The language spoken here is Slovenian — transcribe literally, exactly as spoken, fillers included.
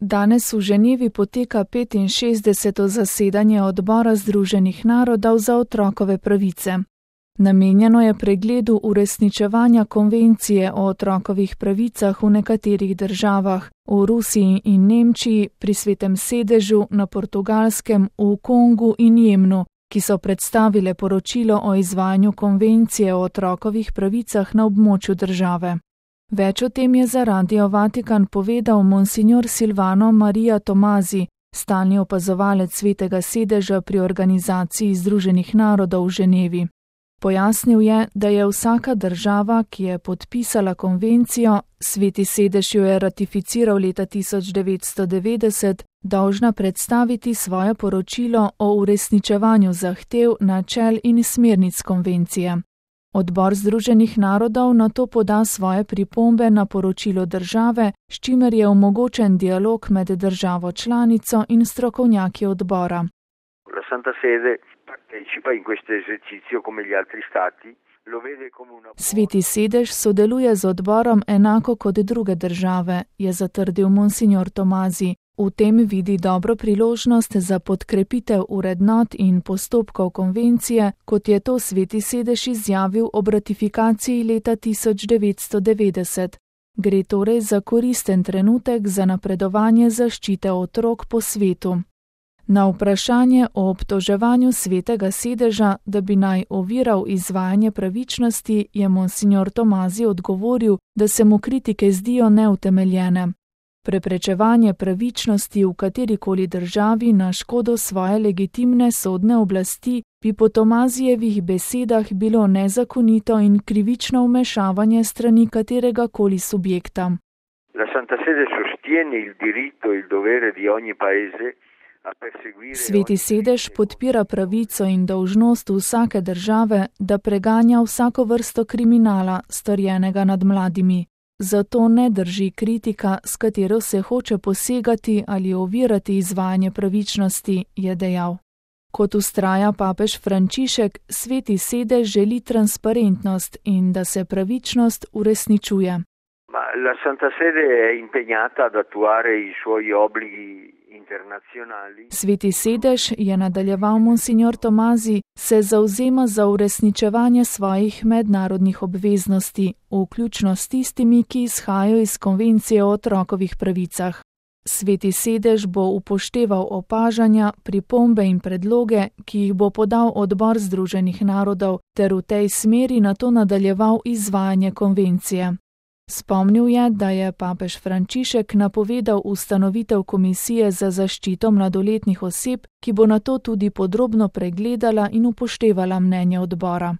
Danes v Ženevi poteka petinšestdeseto zasedanje Odbora Združenih narodov za otrokove pravice. Namenjeno je pregledu uresničevanja konvencije o otrokovih pravicah v nekaterih državah, v Rusiji in Nemčiji, pri Svetem sedežu, na Portugalskem, v Kongu in Jemnu, ki so predstavile poročilo o izvajanju konvencije o otrokovih pravicah na območju države. Več o tem je za Radio Vatikan povedal monsignor Silvano Maria Tomazi, stalni opazovalec Svetega sedeža pri Organizaciji Združenih narodov v Ženevi. Pojasnil je, da je vsaka država, ki je podpisala konvencijo, Sveti sedež jo je ratificiral leta tisoč devetsto devetdeset, dolžna predstaviti svoje poročilo o uresničevanju zahtev, načel in smernic konvencije. Odbor Združenih narodov nato poda svoje pripombe na poročilo države, s čimer je omogočen dialog med državo članico in strokovnjaki odbora. La Santa Sede partecipa in questo esercizio come gli altri stati. Sveti sedež sodeluje z odborom enako kot druge države, je zatrdil monsignor Tomazi. V tem vidi dobro priložnost za podkrepitev vrednot in postopkov konvencije, kot je to Sveti sedež izjavil ob ratifikaciji leta tisoč devetsto devetdeset. Gre torej za koristen trenutek za napredovanje zaščite otrok po svetu. Na vprašanje o obtoževanju Svetega sedeža, da bi naj oviral izvajanje pravičnosti, je monsignor Tomazi odgovoril, da se mu kritike zdijo neutemeljene. Preprečevanje pravičnosti v katerikoli državi na škodo svoje legitimne sodne oblasti bi po Tomazijevih besedah bilo nezakonito in krivično vmešavanje strani katerega koli subjekta. La Santa Sede sostiene il diritto e il dovere di ogni paese. Sveti sedež podpira pravico in dolžnost vsake države, da preganja vsako vrsto kriminala, storjenega nad mladimi. Zato ne drži kritika, s katero se hoče posegati ali ovirati izvajanje pravičnosti, je dejal. Kot vztraja papež Frančišek, Sveti sedež želi transparentnost in da se pravičnost uresničuje. La Santa Sede è impegnata ad attuare i suoi obblighi internazionali. Sveti sedež, je nadaljeval monsignor Tomazi, se zavzema za uresničevanje svojih mednarodnih obveznosti, vključno s tistimi, ki izhajajo iz konvencije o otrokovih pravicah. Sveti sedež bo upošteval opažanja, pripombe in predloge, ki jih bo podal Odbor Združenih narodov, ter v tej smeri nato nadaljeval izvajanje konvencije. Spomnil je, da je papež Frančišek napovedal ustanovitev komisije za zaščito mladoletnih oseb, ki bo nato tudi podrobno pregledala in upoštevala mnenje odbora.